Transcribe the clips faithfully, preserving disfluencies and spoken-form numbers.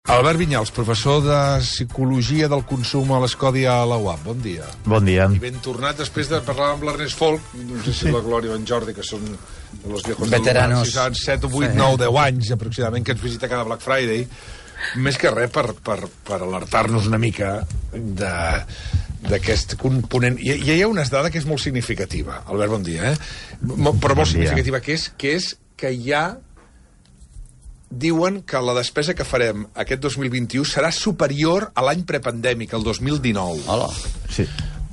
Albert Vinyals, professor de Psicologia del Consum a l'Escodi a la U A P. Bon dia. Bon dia. I ben tornat després de parlar amb l'Ernest Folk, no sé si sí. la Glòria o en Jordi, que són els viejos veteranos. del set, vuit, nou, deu anys aproximadament, que ens visita cada Black Friday, més que res per, per, per alertar-nos una mica de d'aquest component. I hi ha una dada que és molt significativa. Albert, bon dia, eh? Però molt significativa, que és que, és que hi ha diuen que la despesa que farem aquest dos mil vint-i-u serà superior a l'any prepandèmic, el dos mil dinou. Hola. Sí.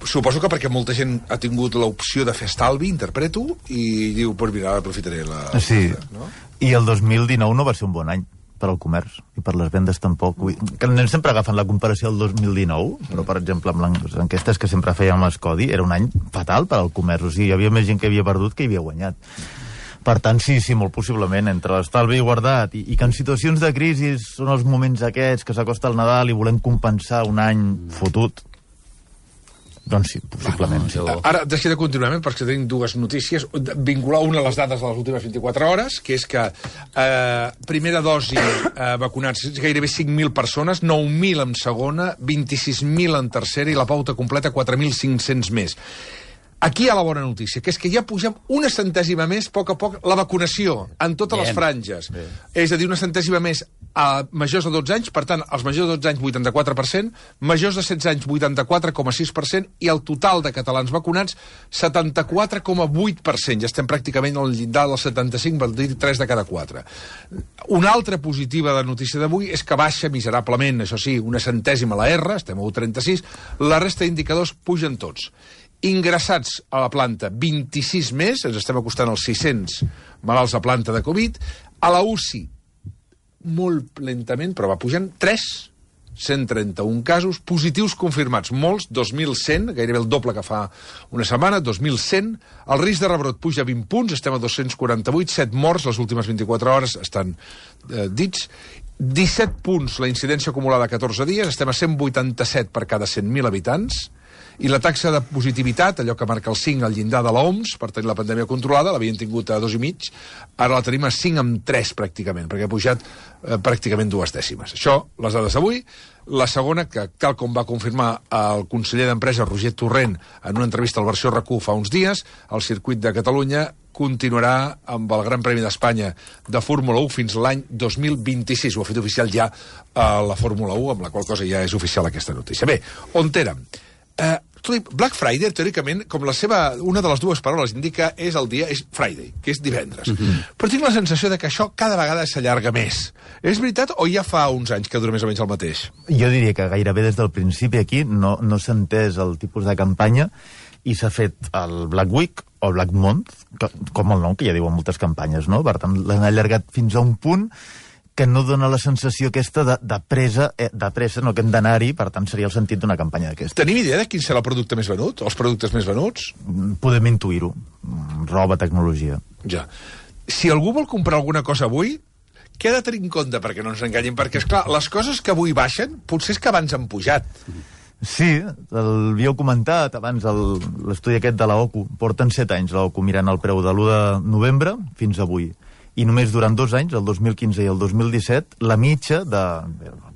Suposo que perquè molta gent ha tingut l'opció de fer estalvi, interpreto, i diu, pues mira, aprofitaré la... Sí, no? I el dos mil dinou no va ser un bon any per al comerç, i per les vendes tampoc. Que anem sempre agafant la comparació del dos mil dinou, però, per exemple, amb les enquestes que sempre fèiem amb l'Escodi, era un any fatal per al comerç. O sigui, hi havia més gent que havia perdut que hi havia guanyat. Per tant, sí, sí, molt possiblement, entre l'estalvi guardat i, i que en situacions de crisi són els moments aquests que s'acosta el Nadal i volem compensar un any fotut, doncs sí, possiblement. Ah, ara, deixi de continuar, perquè tenim dues notícies. Vincular una a les dades de les últimes vint-i-quatre hores, que és que eh, primera dosi eh, vacunats gairebé cinc mil persones, nou mil en segona, vint-i-sis mil en tercera i la pauta completa quatre mil cinc-cents més. Aquí hi ha la bona notícia, que és que ja pugem una centèsima més, a poc a poc, la vacunació en totes Bien. les franges. Bien. És a dir, una centèsima més a majors de dotze anys, per tant, els majors de dotze anys, vuitanta-quatre per cent, majors de setze anys, vuitanta-quatre coma sis per cent, i el total de catalans vacunats, setanta-quatre coma vuit per cent. Ja estem pràcticament al llindar del setanta-cinc, vol dir tres de cada quatre. Una altra positiva de notícia d'avui és que baixa miserablement, això sí, una centèsima la R, estem a u coma trenta-sis, la resta d'indicadors pugen tots. Ingressats a la planta, vint-i-sis més, ens estem acostant als sis-cents malalts a planta de Covid, a la U C I, molt lentament, però va pujant, tres, cent trenta-un casos, positius confirmats, molts, dos mil cent, gairebé el doble que fa una setmana, dos mil cent, el risc de rebrot puja vint punts, estem a dos-cents quaranta-vuit, set morts, les últimes vint-i-quatre hores estan eh, dits, disset punts la incidència acumulada a catorze dies, estem a cent vuitanta-set per cada cent mil habitants, i la taxa de positivitat, allò que marca el cinc al llindar de l'O M S, per tenir la pandèmia controlada, l'havien tingut a dos i mig, ara la tenim a cinc amb tres pràcticament, perquè ha pujat eh, pràcticament dues dècimes. Això, les dades d'avui. La segona, que tal com va confirmar el conseller d'Empresa, Roger Torrent, en una entrevista al Versió R Q fa uns dies, el circuit de Catalunya continuarà amb el Gran Premi d'Espanya de Fórmula u fins l'any dos mil vint-i-sis. Ho ha fet oficial ja a la Fórmula u, amb la qual cosa ja és oficial aquesta notícia. Bé, on érem? Uh, Black Friday, teòricament, com la seva, una de les dues paraules indica, és el dia, és Friday, que és divendres. Mm-hmm. Però tinc la sensació de que això cada vegada s'allarga més. És veritat o ja fa uns anys que dura més o menys el mateix? Jo diria que gairebé des del principi aquí no, no s'ha entès el tipus de campanya i s'ha fet el Black Week o Black Month, que, com el nom, que ja diuen moltes campanyes, no? Per tant, l'han allargat fins a un punt que no dona la sensació aquesta de, de presa, eh, de pressa, no que hem d'anar-hi, per tant seria el sentit d'una campanya d'aquesta. Tenim idea de quin serà el producte més venut? Els productes més venuts? Podem intuir-ho. Roba, tecnologia. Ja. Si algú vol comprar alguna cosa avui, què ha de tenir en compte perquè no ens enganyin? Perquè, esclar, les coses que avui baixen, potser és que abans han pujat. Sí, l'havíeu comentat abans, l'estudi aquest de l'O C U. Porten set anys l'O C U mirant el preu de l'u de novembre fins avui. I només durant dos anys, el dos mil quinze i el dos mil disset, la mitja de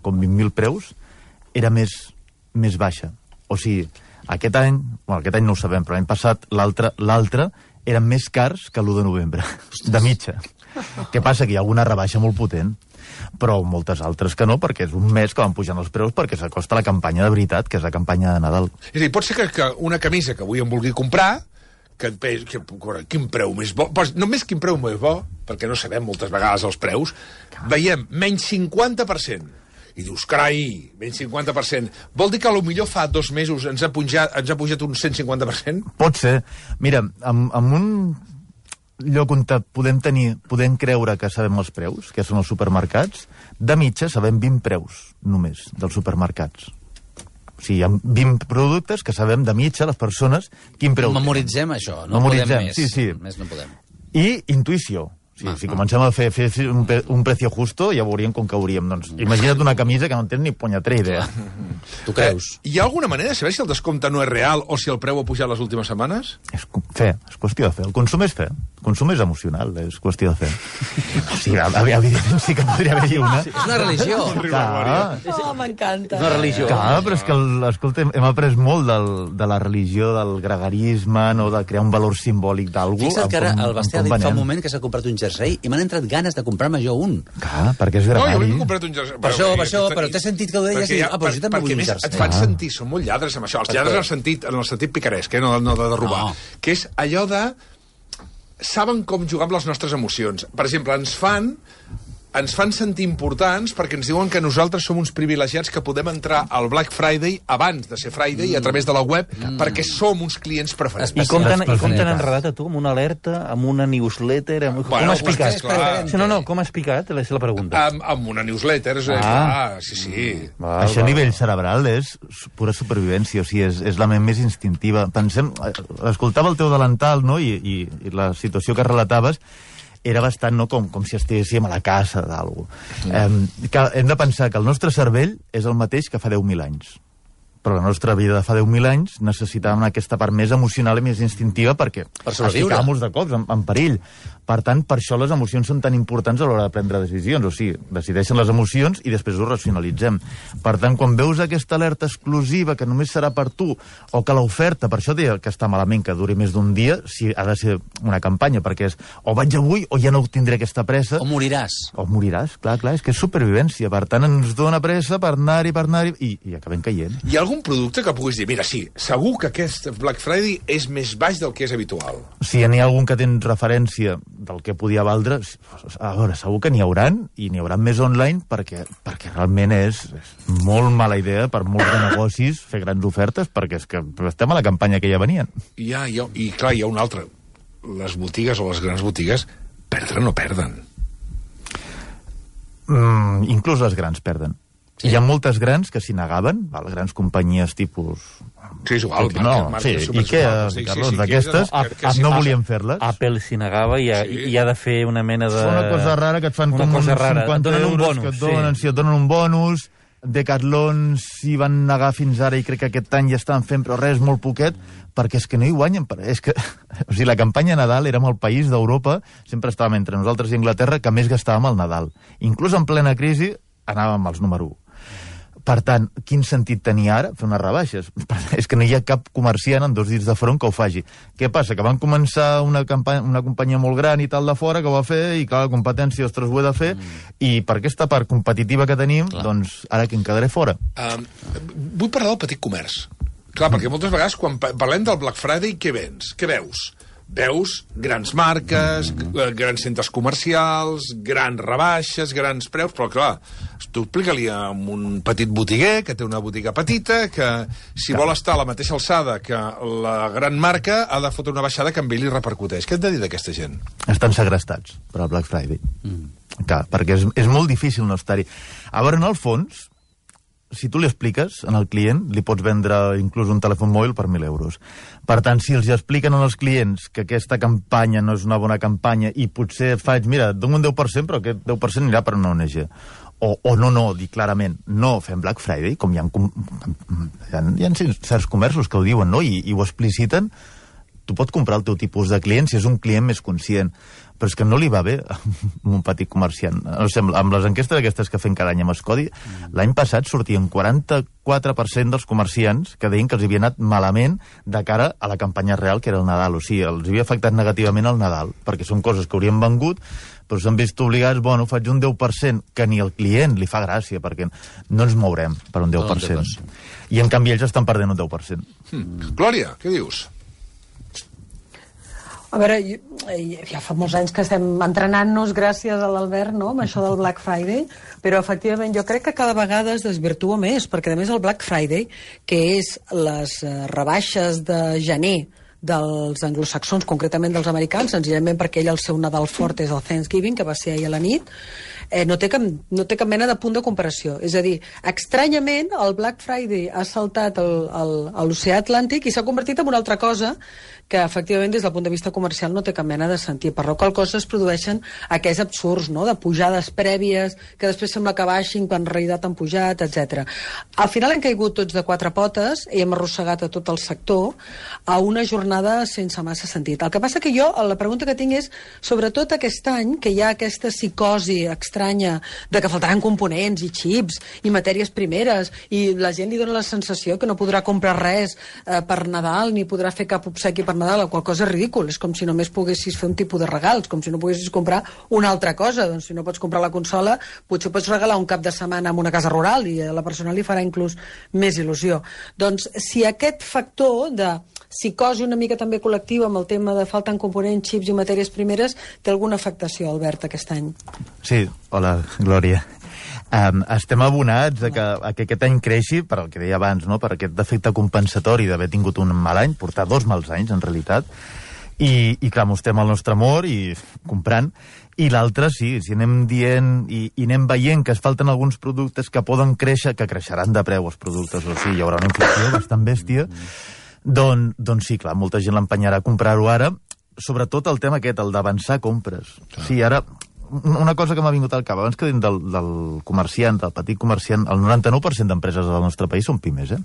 com vint mil preus era més, més baixa. O sigui, aquest any, bueno, aquest any no ho sabem, però l'any passat l'altre l'altre eren més cars que l'u de novembre, de mitja. Què passa? Que hi ha alguna rebaixa molt potent, però moltes altres que no, perquè és un mes que van pujant els preus perquè s'acosta la campanya de veritat, que és la campanya de Nadal. És a dir, pot ser que, que una camisa que avui em vulgui comprar, que, que, que quin preu més bo, pues, només quin preu més bo, perquè no sabem moltes vegades els preus, veiem menys cinquanta per cent. I dius, carai, menys cinquanta per cent. Vol dir que potser fa dos mesos ens ha pujat, ens ha pujat un cent cinquanta per cent? Pot ser. Mira, amb, amb un lloc on podem tenir, podem creure que sabem els preus, que són els supermercats, de mitja sabem vint preus només dels supermercats. O sigui, hi ha vint productes que sabem de mitja, les persones, quin preu... Memoritzem això, no Memoritzem, podem més. Sí, sí. Més no podem. I intuïció. Sí, ah, si ah. comencem a fer, fer un, un precio justo, ja veuríem com cauríem. Doncs, imagina't una camisa que no tens ni punyetera idea. Tu creus? Eh, hi ha alguna manera de saber si el descompte no és real o si el preu ha pujat les últimes setmanes? És fe, és qüestió de fe. El consum és fe. El consum és emocional, és qüestió de fe. O sigui, evidentment sí que podria haver-hi una... Sí, és una religió. Clar, Oh, m'encanta. És una religió. clar, però és que, el, escolta, hem après molt del, de la religió, del gregarisme, no, de crear un valor simbòlic d'algú. Fixa't que ara com- el Basté ha com dit fa venem. un moment que s'ha comprat un jersei i m'han entrat ganes de comprar-me jo un. Clar, perquè és No, jo gregari. m'he comprat un jersei. Per això, per això, però t'he sentit que ho deies Perquè i hi dic, ah, però jo també perquè vull un més jersei. et fan Ah. sentir, són molt lladres amb això, els lladres en el sentit, en el sentit picaresc, eh, no, no de robar, No. que és allò de... saben com jugar amb les nostres emocions. Per exemple, ens fan ens fan sentir importants perquè ens diuen que nosaltres som uns privilegiats que podem entrar al Black Friday abans de ser Friday mm. a través de la web mm. perquè som uns clients preferents. I com t'han i com t'han Especialitat. enredat a tu amb una alerta, amb una newsletter... Amb... Bueno, com has pues, picat? clar. Sí, no, no, com has picat? És la pregunta. Amb, amb una newsletter, és, Ah. clar, sí, sí. Val, Això a val. nivell cerebral és pura supervivència, o sigui, és, és la ment més instintiva. Pensem, eh, escoltava el teu delantal, no?, i, i, i la situació que relataves era bastant, no?, com, com si estiguéssim a la casa d'algú. Mm. Eh, que hem de pensar que el nostre cervell és el mateix que fa deu mil anys. Però la nostra vida de fa deu mil anys necessitàvem aquesta part més emocional i més instintiva perquè Per sobreviure. ficàvem de cops en, en perill. Per tant, per això les emocions són tan importants a l'hora de prendre decisions. O sigui, decideixen les emocions i després ho racionalitzem. Per tant, quan veus aquesta alerta exclusiva que només serà per tu, o que l'oferta, per això deia que està malament que duri més d'un dia, si ha de ser una campanya, perquè és o vaig avui o ja no tindré aquesta pressa, O moriràs. o moriràs, clar, clar, és que és supervivència. Per tant, ens dona pressa per anar-hi, per anar-hi, i, i acabem caient. Hi ha algun producte que puguis dir, mira, sí, segur que aquest Black Friday és més baix del que és habitual. Si n'hi ha algun que tens referència del que podia valdre, a veure, segur que n'hi hauran, i n'hi hauran més online, perquè, perquè realment és, és molt mala idea per molts de negocis fer grans ofertes, perquè és que estem a la campanya que ja venien. I, ha, hi ha, I clar, hi ha un altre. Les botigues o les grans botigues perdre no perden. Mm, inclús les grans perden. Sí. Hi ha moltes grans que s'hi negaven, val, grans companyies tipus... Sí, és igual. No, marques, sí, marques super Ikea, suaves. Sí, Carlons, sí, sí, d'aquestes, que- que sí no passa. volien fer-les. Apple s'hi negava i ha, Sí. i ha de fer una mena de... És una cosa rara que et fan una com cosa uns rara. cinquanta Et donen un euros bonus, que et donen, sí. sí, et donen un bonus. Decathlon s'hi van negar fins ara i crec que aquest any ja estan fent, però res, molt poquet, perquè és que no hi guanyen. per- És que, o sigui, la campanya Nadal érem el país d'Europa, sempre estàvem entre nosaltres i Anglaterra, que més gastàvem al Nadal. Inclús en plena crisi anàvem als número u. Per tant, quin sentit tenia ara fer unes rebaixes? És que no hi ha cap comerciant en dos dits de front que ho faci. Què passa? Que van començar una, campanya, una companyia molt gran i tal de fora que ho va fer, i clar, la competència, ostres, ho he de fer, mm. i per aquesta part competitiva que tenim, clar. Doncs ara que en quedaré fora. Um, vull parlar del petit comerç. Clar, perquè moltes vegades quan pa- parlem del Black Friday, què vens? Què veus? Veus grans marques, mm. grans centres comercials, grans rebaixes, grans preus, però clar, tu explica-li a un petit botiguer que té una botiga petita, que si clar. vol estar a la mateixa alçada que la gran marca ha de fotre una baixada que amb ell li repercuteix. Què et de dir d'aquesta gent? Estan segrestats per al Black Friday. Mm. Clar, perquè és, és molt difícil no estar-hi. A veure, en el fons, si tu li expliques al client, li pots vendre inclús un telèfon mòbil per mil euros. Per tant, si els expliquen als clients que aquesta campanya no és una bona campanya i potser faig, mira, et dono un deu per cent, però aquest deu per cent anirà per una O N G. O, o no, no, dir clarament, no fem Black Friday, com hi ha, com, hi ha, hi ha certs comerços que ho diuen, no?, i, i ho expliciten, tu pots comprar el teu tipus de client si és un client més conscient. Però és que no li va bé a un petit comerciant. No sé, amb les enquestes aquestes que fem cada any amb Escodi, mm. l'any passat sortien quaranta-quatre per cent dels comerciants que deien que els havia anat malament de cara a la campanya real, que era el Nadal. O sigui, els havia afectat negativament el Nadal, perquè són coses que haurien vengut, però s'han vist obligats, bueno, faig un deu per cent, que ni al client li fa gràcia, perquè no ens mourem per un deu per cent. I, en canvi, ells estan perdent un deu per cent. Hmm. Glòria, què dius? A veure, ja fa molts anys que estem entrenant-nos gràcies a l'Albert, no?, amb això del Black Friday, però efectivament jo crec que cada vegada es desvirtua més, perquè a més el Black Friday, que és les rebaixes de gener dels anglosaxons, concretament dels americans, senzillament perquè ell el seu Nadal fort és el Thanksgiving, que va ser ahir a la nit, eh, no, té cap, no té cap mena de punt de comparació. És a dir, estranyament, el Black Friday ha saltat el, el, a l'oceà Atlàntic i s'ha convertit en una altra cosa que efectivament des del punt de vista comercial no té cap mena de sentit, per la qual cosa es produeixen aquests absurds, no?, de pujades prèvies que després sembla que baixin quan en realitat han pujat, etcètera. Al final hem caigut tots de quatre potes i hem arrossegat a tot el sector a una jornada sense massa sentit. El que passa que jo, la pregunta que tinc és, sobretot aquest any, que hi ha aquesta psicosi estranya de que faltaran components i xips i matèries primeres i la gent li dona la sensació que no podrà comprar res eh, per Nadal ni podrà fer cap obsequi per Nadal, la qual cosa és ridícul. És com si només poguessis fer un tipus de regals, com si no poguessis comprar una altra cosa. Doncs si no pots comprar la consola, potser pots regalar un cap de setmana en una casa rural i a la persona li farà inclús més il·lusió. Doncs si aquest factor de psicosi una mica també col·lectiva amb el tema de falten components, xips i matèries primeres, té alguna afectació, Albert, aquest any? Sí, hola, Glòria. Um, estem abonats a que, a que aquest any creixi, per el que deia abans, no?, per aquest defecte compensatori d'haver tingut un mal any, portar dos mals anys, en realitat, i, i clar, mostrem el nostre amor i comprant, i l'altre sí, si anem dient i, i anem veient que es falten alguns productes que poden créixer, que creixeran de preu els productes, o sigui, hi haurà una inflació bastant bèstia, doncs, doncs sí, clar, molta gent l'empenyarà a comprar-ho ara, sobretot el tema aquest, el d'avançar compres. Clar. Sí, ara... Una cosa que m'ha vingut al cap, abans que dient del, del comerciant, del petit comerciant, el noranta-nou per cent d'empreses del nostre país són pimes, eh?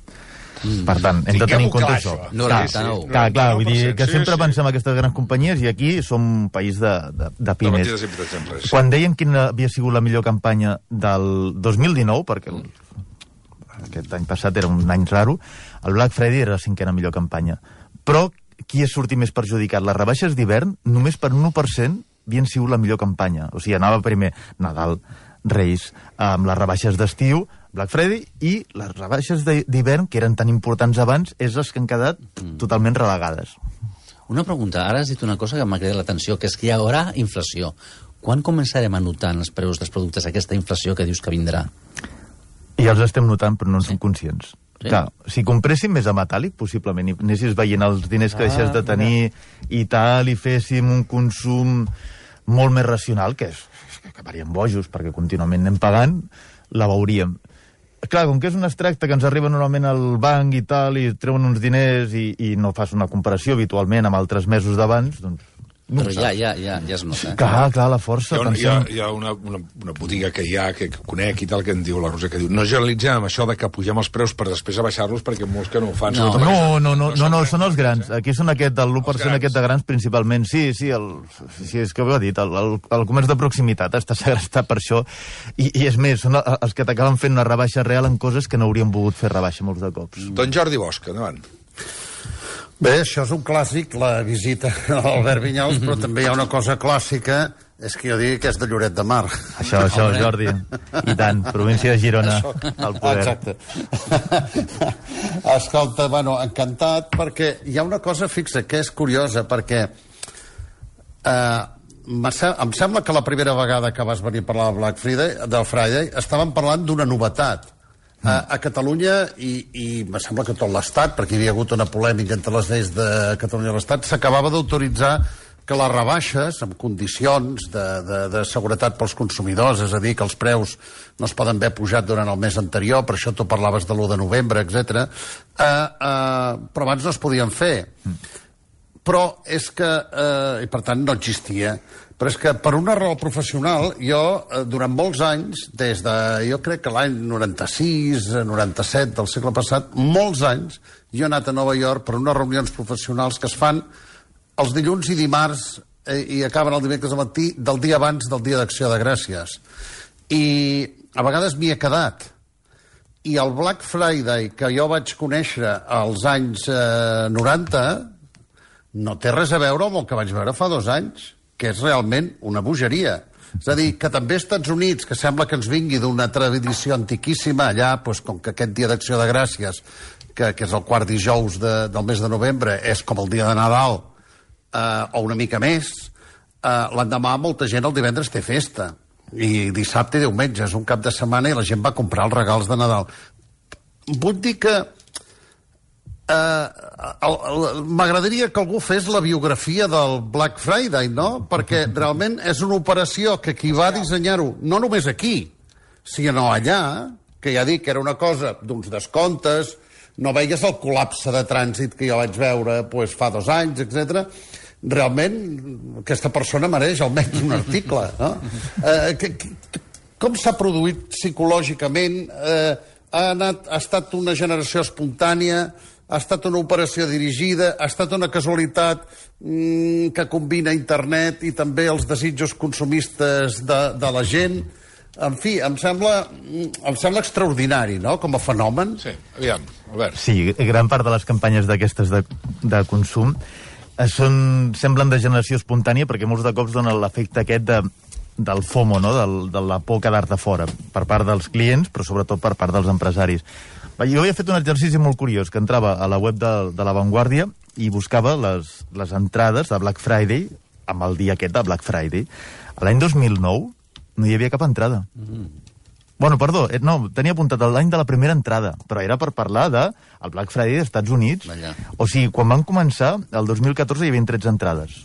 Mm. Per tant, hem de tenir en compte això. noranta-nou. Clar, clar, vull dir que sempre pensem en aquestes grans companyies i aquí som un país de, de, de pimes. Quan deien quina havia sigut la millor campanya del dos mil dinou, perquè el, aquest any passat era un any raro, el Black Friday era la cinquena millor campanya. Però qui ha sortit més perjudicat? Les rebaixes d'hivern, només per un u per cent havien sigut la millor campanya. O sigui, anava primer Nadal, Reis, amb les rebaixes d'estiu, Black Friday, i les rebaixes d'hivern, que eren tan importants abans, és les que han quedat mm. totalment relegades. Una pregunta. Ara has dit una cosa que m'ha cridat l'atenció, que és que hi haurà inflació. Quan començarem a notar en els preus dels productes aquesta inflació que dius que vindrà? I els estem notant, però no en sí. som conscients. Sí? Clar, si compréssim més a metàl·lic, possiblement, i anessis veient els diners que ah, deixes de tenir mira. I tal, i féssim un consum molt més racional, que és que acabaríem bojos, perquè contínuament anem pagant, la veuríem. Clar, com que és un extracte que ens arriba normalment al banc i tal, i treuen uns diners i, i no fas una comparació habitualment amb altres mesos d'abans, doncs... No però ja, ja, ja, ja es nota. Eh? Clar, clar, la força. Hi ha, un, hi ha, hi ha una, una, una botiga que hi ha, que conec i tal, que em diu, la Rosa, que diu, no generalitzem això de que pugem els preus per després abaixar-los, perquè molts que no ho fan. No, no, no, no, no, no, no, són els grans. Aquí són aquest, el l'u per cent aquest de grans, principalment. Sí, sí, el, sí, és que ho he dit, el, el, el comerç de proximitat està segrestat per això, i, i és més, són els que t'acaben fent una rebaixa real en coses que no haurien volgut fer rebaixa molts de cops. Don Jordi Bosch, endavant. Bé, això és un clàssic, la visita a l'Albert Vinyals, però també hi ha una cosa clàssica, és que jo digui que és de Lloret de Mar. Això, això, Jordi. I tant, província de Girona, al poder. Exacte. Escolta, bueno, encantat, perquè hi ha una cosa fixa que és curiosa, perquè eh, em sembla que la primera vegada que vas venir a parlar del Black Friday, del Friday, estàvem parlant d'una novetat. A, a Catalunya, i, i me sembla que tot l'Estat, perquè hi havia hagut una polèmica entre les lleis de Catalunya i l'Estat, s'acabava d'autoritzar que les rebaixes, amb condicions de, de, de seguretat pels consumidors, és a dir, que els preus no es poden haver pujat durant el mes anterior, per això tu parlaves de l'u de novembre, etcètera, eh, eh, però abans no es podien fer. Però és que, eh, i per tant no existia, però és que per una raó professional jo eh, durant molts anys, des de jo crec que l'any noranta-sis, noranta-set del segle passat, molts anys jo he anat a Nova York per unes reunions professionals que es fan els dilluns i dimarts eh, i acaben el dimecres al matí del dia abans del dia d'Acció de Gràcies, i a vegades m'hi he quedat. I el Black Friday que jo vaig conèixer als anys eh, noranta no té res a veure amb el que vaig veure fa dos anys, que és realment una bogeria. És a dir, que també als Estats Units, que sembla que ens vingui d'una tradició antiquíssima, allà, doncs, com que aquest dia d'Acció de Gràcies, que, que és el quart dijous de, del mes de novembre, és com el dia de Nadal, eh, o una mica més, eh, l'endemà molta gent el divendres té festa, i dissabte i diumenge és un cap de setmana i la gent va comprar els regals de Nadal. Vull dir que Uh, m'agradaria que algú fes la biografia del Black Friday, no? Perquè realment és una operació que qui va dissenyar-ho, no només aquí, sinó allà, que ja dic que era una cosa d'uns descomptes, no veies el col·lapse de trànsit que jo vaig veure pues, fa dos anys, etcètera. Realment, aquesta persona mereix almenys un article, no? Uh, que, que, com s'ha produït psicològicament? Uh, ha, anat, ha estat una generació espontània? Ha estat una operació dirigida, ha estat una casualitat mmm, que combina internet i també els desitjos consumistes de, de la gent. En fi, em sembla, em sembla extraordinari, no?, com a fenomen. Sí, aviam, Albert. Sí, gran part de les campanyes d'aquestes de, de consum eh, són, semblen de generació espontània perquè molts de cops donen l'efecte aquest de, del FOMO, no?, del, de la por a quedar-te fora, per part dels clients, però sobretot per part dels empresaris. Jo havia fet un exercici molt curiós, que entrava a la web de, de La Vanguardia i buscava les, les entrades de Black Friday amb el dia aquest de Black Friday. L'any dos mil nou no hi havia cap entrada. Mm. Bueno, perdó, no, tenia apuntat l'any de la primera entrada, però era per parlar de el Black Friday dels Estats Units. Allà. O sigui, quan van començar, el dos mil catorze hi havia tretze entrades.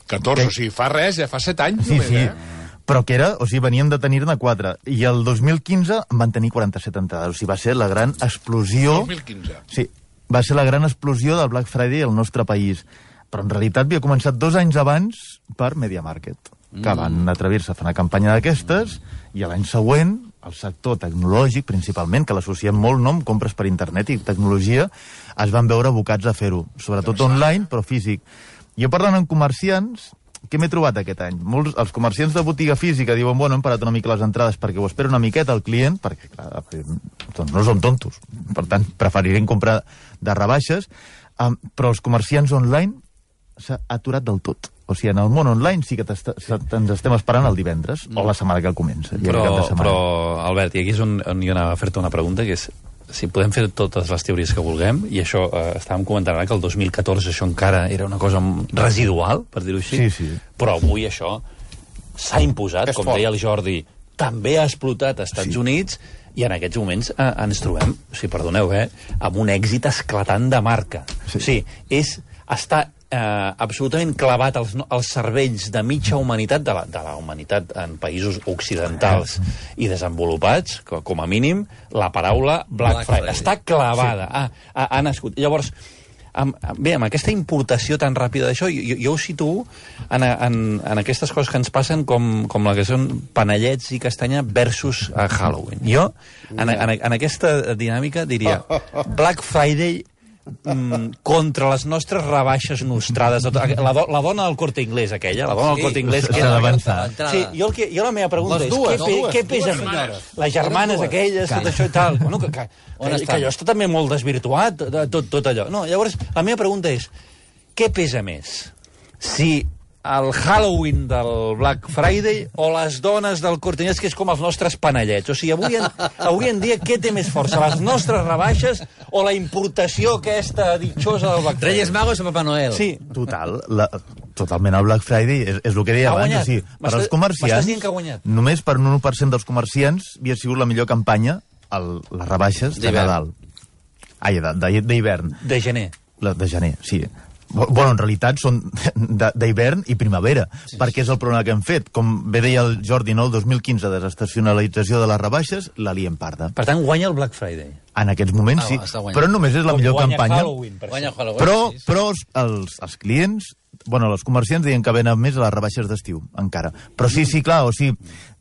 catorze, que... o sigui, fa res, ja fa set anys. Sí, només, sí. Eh? Però que era, o sigui, veníem de tenir-ne quatre. I el dos mil quinze en van tenir quaranta-set entrades. O sigui, va ser la gran explosió... dos mil quinze. Sí, va ser la gran explosió del Black Friday al nostre país. Però en realitat havia començat dos anys abans per Media Market, que mm. van atrevir-se a fer una campanya d'aquestes, i l'any següent, el sector tecnològic, principalment, que l'associem molt, no?, amb compres per internet i tecnologia, es van veure abocats a fer-ho. Sobretot online, però físic. Jo parlant amb comerciants... Què m'he trobat aquest any? Molts, els comerciants de botiga física diuen, bueno, hem parat una mica les entrades perquè ho espera una miqueta el client, perquè, clar, doncs no són tontos. Per tant, preferirem comprar de rebaixes, um, però els comerciants online s'ha aturat del tot. O sigui, en el món online sí que ens estem esperant el divendres, o la setmana que comença. Però, però Albert, i aquí és on, on jo anava a fer-te una pregunta, que és si podem fer totes les teories que vulguem, i això eh, estàvem comentant ara que el dos mil catorze això encara era una cosa residual, per dir-ho així, sí, sí. Però avui això s'ha imposat, és com fort. Deia el Jordi, també ha explotat als Estats sí. Units, i en aquests moments eh, ens trobem, si perdoneu, eh, amb un èxit esclatant de marca. Sí. O sigui, és estar eh, absolutament clavat als, als cervells de mitja humanitat, de la, de la humanitat en països occidentals i desenvolupats, com, com a mínim, la paraula Black, Black Friday. Friday. Està clavada, sí. ha, ha, ha nascut. Llavors, amb, bé, amb aquesta importació tan ràpida d'això, jo, jo ho situo en, en, en aquestes coses que ens passen com, com la que són panellets i castanya versus uh, Halloween. Jo, en, en, en aquesta dinàmica, diria Black Friday mm, contra les nostres rebaixes nostrades. La, do, la dona del Corte Inglés, aquella, la dona sí, del Corte Inglés... Que era sí, jo, el que, jo la meva pregunta les és, dues, què, no, dues, què dues pesa senyores. Les germanes aquelles, tot això i tal. Bueno, que, que, que, que allò està també molt desvirtuat, tot, tot allò. No, llavors, la meva pregunta és, què pesa més? Si el Halloween del Black Friday o les dones del Corte Inglés, que és com els nostres panellets. O sigui, avui en, avui en dia què té més força? Les nostres rebaixes o la importació aquesta ditxosa del Black Friday? Reyes Magos o Papà Noel? Sí. Total, la, totalment el Black Friday és, és el que deia Ha abans. guanyat. O sigui, per als comerciants, M'estàs dient que ha guanyat? només per un u per cent dels comerciants havia sigut la millor campanya el, les rebaixes de Nadal. Ai, d'hivern. De gener. La, de gener, sí. Bueno, en realitat són d'hivern i primavera, sí, perquè és el problema que hem fet. Com bé deia el Jordi, no, el dos mil quinze, desestacionalització de les rebaixes, la liem parda. Per tant, guanya el Black Friday. En aquests moments Ah, sí, va, però només és la Com millor guanya campanya. Halloween, per Guanya exemple. Halloween. Però, sí, sí. però els, els, els clients, bueno, els comerciants deien que venen més a les rebaixes d'estiu, encara. Però sí, sí, clar, o sigui,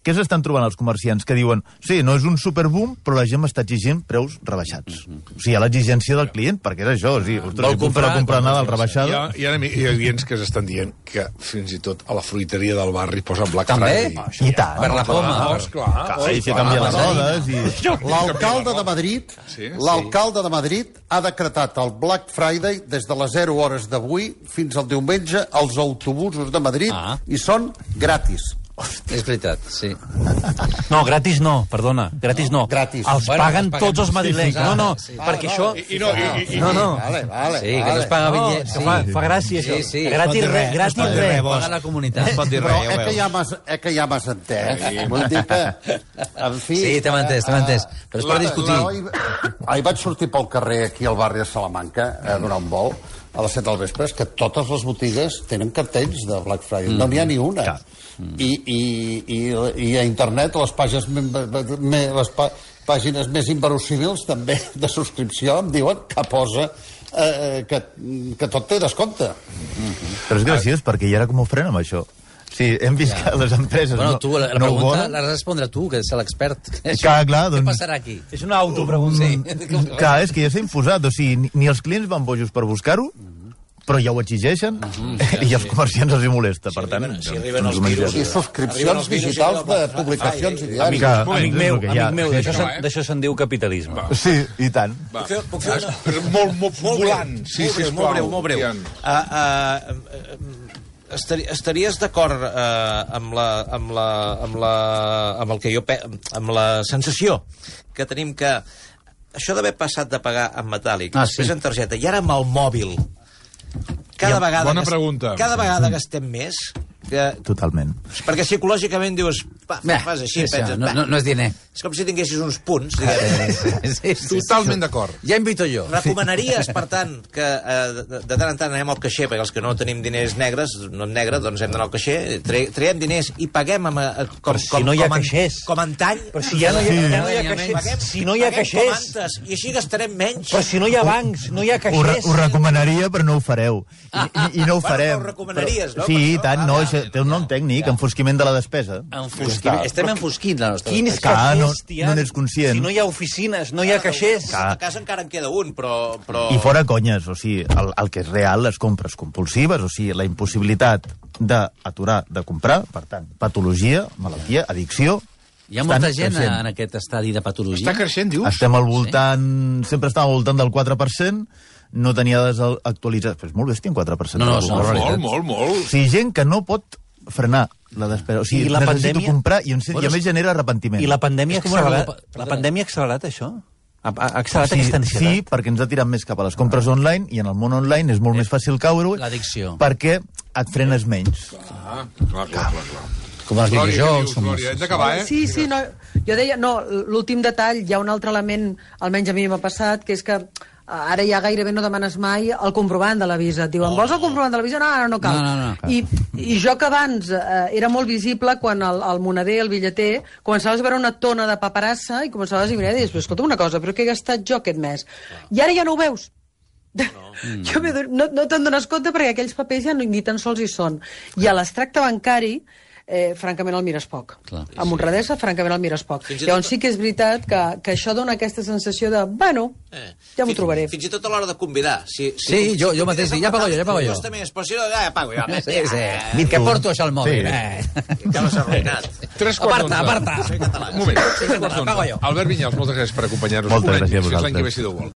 què s'estan trobant els comerciants? Que diuen, sí, no és un superboom, però la gent m'està exigint preus rebaixats. O sigui, hi ha l'exigència del client, perquè és això, o sigui, ostres, Vol si puc fer la comprar, compra comprar, Nadal rebaixada... Hi ha, hi, ha, hi ha clients que s'estan dient que fins i tot a la fruiteria del barri posen Black També? Friday. I tant. Per la poma. Ah, esclar, Clar, i si canvia les rodes i... L'alcalde de Madrid, Sí, l'alcalde de Madrid ha decretat el Black Friday des de les zero hores d'avui fins al diumenge als autobusos de Madrid Ah. i són gratis. És veritat, sí. No, gratis no, perdona, gratis no. Gratis. Els Bueno, paguen els paguem. tots els madrilenys. Sí, sí, No, no, sí. perquè això... I, i no, i, i, No, no. Vale, vale, Sí, que no vale. es paga No, bitllet. que fa, fa gràcia, això. Sí, sí. Gratis Es pot dir res, res, gratis es pot dir res. res, vos. Paga la comunitat. Es pot dir Però res, ja eh ho que ja veus. m'has eh, que ja m'has entès. Vull dir que, en fi... Sí, t'hem entès, t'hem entès. Però és per la- discutir. la- ahir- Ahir vaig sortir pel carrer aquí al barri de Salamanca a donar un vol a les set del vespre, és que totes les botigues tenen cartells de Black Friday, no n'hi ha ni una. I, i, i, I a internet les pàgines, me, me, les pà, pàgines més inverosímils també de subscripció em diuen que posa eh, que, que tot té descompte. Però és graciós, perquè ja era com ho frenem, això. Sí, hem vist ja. que les empreses Bueno, no, tu, la, la no ho pregunta volen. l'has de respondre tu, que ets l'expert. Clar, clar, Què doncs- passarà aquí? És una autopregunta. Sí. Clar, és que ja s'ha imposat, o sigui, ni, ni els clients van bojos per buscar-ho, però ja ho exigeixen, i als comerciants els hi molesta, per tant... arriben- si arriben els doncs, virus, I Arriben subscripcions els virus i digitals allò, de va, publicacions i ai, diaris. Clar, Amic és meu, el que hi ha. amic meu, Sí, d'això això, se'n eh? d'això se'n diu capitalisme. Sí, i tant. Puc fer, puc fer una... És molt, molt volant. Sí, molt breu, sisplau, molt breu, molt breu. Ian. Uh, uh, estari, estaries d'acord uh, amb, la, amb, la, amb, la, amb el que jo pe amb la sensació que tenim que això d'haver passat de pagar en metàl·lic, Ah, després sí. en targeta, i ara amb el mòbil, cada Ja, vegada, bona gas- pregunta. cada vegada gastem més, que, Totalment. perquè psicològicament dius, va, Bé, fas així, sí, penses, no, va, no, no és diner. és com si tinguessis uns punts, diguem. Sí, sí, sí. Totalment d'acord. Ja invito jo. Recomanaries, per tant, que eh, de, de tant en tant anem al caixer, perquè els que no tenim diners negres, no en negre, doncs hem d'anar al caixer, tre, traiem diners i paguem amb, eh, com, Però si com, no hi ha com, en- caixers. com antany. Però si ja no hi ha, ja no hi ha Paguem- caixers, si no hi ha paguem com caixers, antes, i així gastarem menys. però si no hi ha bancs, no hi ha Ho, re, caixers... ho recomanaria, però no ho fareu. I, i, i no ho Bueno, farem. però ho recomanaries, no? Sí, Per i això, tant, va, no, va, això té un nom tècnic, enfosquiment de la despesa. Enfosquim, estem enfosquint la nostra Quins despesa. Clar, no- caixers, Tian? no n'ets conscient. Si no hi ha oficines, no hi ha caixers... A casa encara en queda un, però... però... I fora conyes, o sigui, el, el que és real, les compres compulsives, o sigui, la impossibilitat d'aturar de comprar, per tant, patologia, malaltia, addicció... Hi ha molta estan gent creixent. en aquest estadi de patologia. Està creixent, dius? Estem al voltant... Sempre estàvem al voltant del quatre per cent, no tenia dades actualitzades. Però és molt bèstia, un quatre per cent. No, no, de la són població. Molt, molt, molt. O sigui, gent que no pot frenar la despesa. O sigui, I la necessito pandèmia? comprar i, en, Bueno, i a més genera arrepentiment. I la pandèmia ha És com una accelerat, Europa- la perdona. pandèmia ha accelerat això? Ha, ha accelerat sí, aquesta ansietat? sí, perquè ens ha tirat més cap a les compres online i en el món online és molt més fàcil caure L'addicció. perquè et frenes menys. Ah, clar, clar, clar, clar. Com els Glòria, què videojocs. dius, Com... Glòria? Hem d'acabar, eh? Sí, sí, no, jo deia, no, l'últim detall, hi ha un altre element, almenys a mi m'ha passat, que és que eh, ara ja gairebé no demanes mai el comprovant de la visa. Et diuen, vols el comprovant de la visa? No, ara no cal. No, no, no. I, I jo que abans eh, era molt visible quan el, el monader, el billeter, començaves a veure una tona de paperassa i començaves a mirar i dius, però escolta una cosa, però què he gastat jo aquest mes? I ara ja no ho veus. No, jo m'he adonat- no, no te'n dones compte perquè aquells papers ja no, ni tan sols hi són. I a l'extracte bancari, eh, francament el mires poc. Clar. Amb honradesa, francament el mires poc. Fins i Llavors tot- sí que és veritat que, que això dona aquesta sensació de, bueno, Eh. ja m'ho Fins- trobaré. Fins i tot a l'hora de convidar. Si, si, Sí, jo- jo mateix dic, ja pago jo, ja pago jo. Costa més, però si no, ja pago jo. Sí, sí. Que porto això al mòbil. Sí. Eh. Acabes arruïnat. Tres quarts Aparta, d'onze. aparta. Soy català. Un moment. Sí, Tres quarts pago d'onze. jo. Albert Vinyals, moltes gràcies per acompanyar-nos. Moltes Un any, gràcies a fins l'any que ve, vosaltres. si Déu vol.